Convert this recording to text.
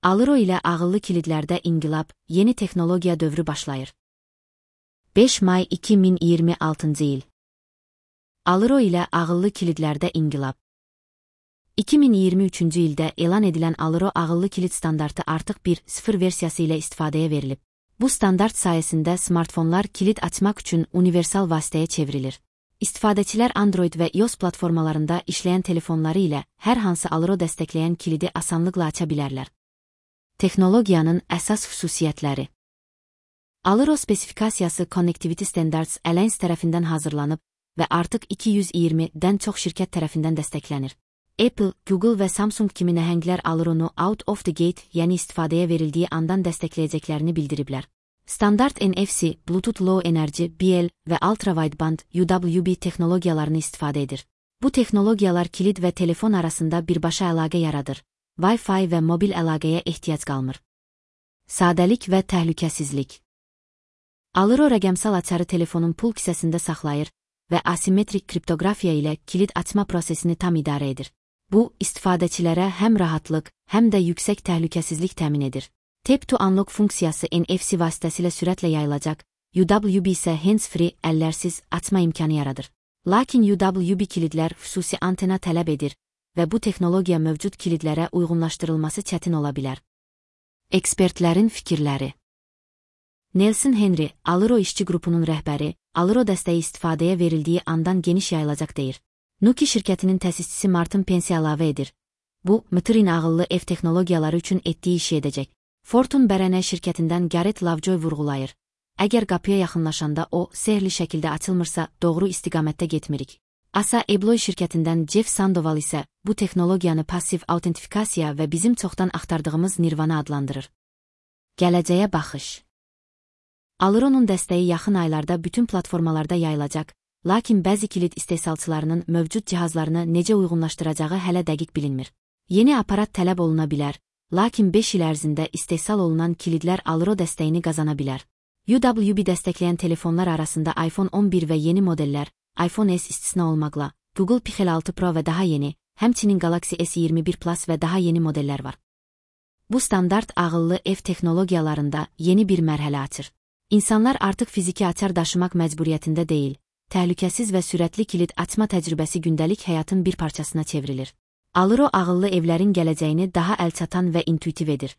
Aliro ilə ağıllı kilidlərdə inqilab, yeni texnologiya dövrü başlayır. 5 may 2026 il. Aliro ilə ağıllı kilidlərdə inqilab. 2023-cü ildə elan edilən Aliro ağıllı kilid standartı artıq 1.0 versiyası ilə istifadəyə verilib. Bu standart sayəsində smartfonlar kilid açmaq üçün universal vasitəyə çevrilir. İstifadəçilər Android və iOS platformalarında işləyən telefonları ilə hər hansı Aliro dəstəkləyən kilidi asanlıqla aça bilərlər. Texnologiyanın əsas xüsusiyyətləri. Aliro spesifikasiyası Connectivity Standards Alliance tərəfindən hazırlanıb və artıq 220-dən çox şirkət tərəfindən dəstəklənir. Apple, Google və Samsung kimi nəhənglər Alironu out of the gate, yəni istifadəyə verildiyi andan dəstəkləyəcəklərini bildiriblər. Standart NFC, Bluetooth Low Energy, BL və Ultra Wideband UWB texnologiyalarını istifadə edir. Bu texnologiyalar kilid və telefon arasında birbaşa əlaqə yaradır. Wi-Fi və mobil əlaqəyə ehtiyac qalmır. Sadəlik və təhlükəsizlik. Aliro rəqəmsal açarı telefonun pul kisəsində saxlayır və asimetrik kriptografiya ilə kilid açma prosesini tam idarə edir. Bu, istifadəçilərə həm rahatlıq, həm də yüksək təhlükəsizlik təmin edir. Tap to Unlock funksiyası NFC vasitəsilə sürətlə yayılacaq, UWB isə hands-free, əllərsiz açma imkanı yaradır. Lakin UWB kilidlər xüsusi antena tələb edir və bu texnologiya mövcud kilidlərə uyğunlaşdırılması çətin ola bilər. Ekspertlərin fikirləri. Nelson Henry, Aliro işçi qrupunun rəhbəri, Aliro dəstəyi istifadəyə verildiyi andan geniş yayılacaq deyir. Nuki şirkətinin təsisçisi Martin Pensi əlavə edir. Bu, Mtrin ağıllı ev texnologiyaları üçün etdiyi işi edəcək. Fortune Bərənə şirkətindən Gareth Lovejoy vurğulayır. Əgər qapıya yaxınlaşanda o, sehrli şəkildə açılmırsa, doğru istiqamətdə getmirik. Asa Abloy şirkətindən Jeff Sandoval isə bu texnologiyanı passiv autentifikasiya və bizim çoxdan axtardığımız Nirvana adlandırır. Gələcəyə baxış. Alironun dəstəyi yaxın aylarda bütün platformalarda yayılacaq, lakin bəzi kilid istehsalçılarının mövcud cihazlarını necə uyğunlaşdıracağı hələ dəqiq bilinmir. Yeni aparat tələb oluna bilər, lakin 5 il ərzində istehsal olunan kilidlər Aliro dəstəyini qazana bilər. UWB dəstəkləyən telefonlar arasında iPhone 11 və yeni modellər, iPhone S istisna olmaqla, Google Pixel 6 Pro və daha yeni, həmçinin Galaxy S21 Plus və daha yeni modellər var. Bu standart ağıllı ev texnologiyalarında yeni bir mərhələ açır. İnsanlar artıq fiziki açar daşımaq məcburiyyətində deyil, təhlükəsiz və sürətli kilid açma təcrübəsi gündəlik həyatın bir parçasına çevrilir. Aliro ağıllı evlərin gələcəyini daha əlçatan və intuitiv edir.